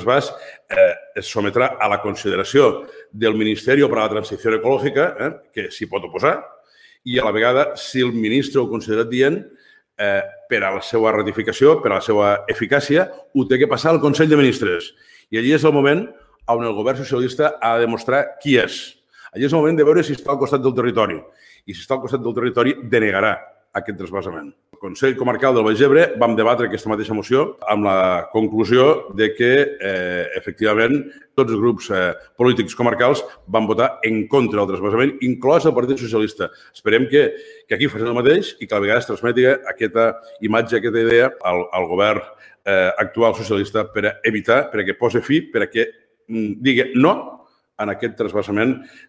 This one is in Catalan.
trasbàs es sometrà a la consideració del Ministeri per a la Transició Ecològica, que s'hi pot oposar, i a la vegada, si el ministre ho considera adient, per a la seva ratificació, per a la seva eficàcia, ho té que passar al Consell de Ministres. I allí és el moment on el govern socialista ha de demostrar qui és. Allí és el moment de veure si està al costat del territori. I si està al costat del territori, denegarà aquest trasbassament. El Consell Comarcal del Baix Ebre vam debatre aquesta mateixa moció amb la conclusió de que, efectivament, tots els grups polítics comarcals van votar en contra del trasbassament, inclòs el Partit Socialista. Esperem que aquí facin el mateix i que a la vegada es transmeti aquesta imatge, aquesta idea al govern actual socialista per evitar, perquè posi fi, perquè digui no en aquest trasbassament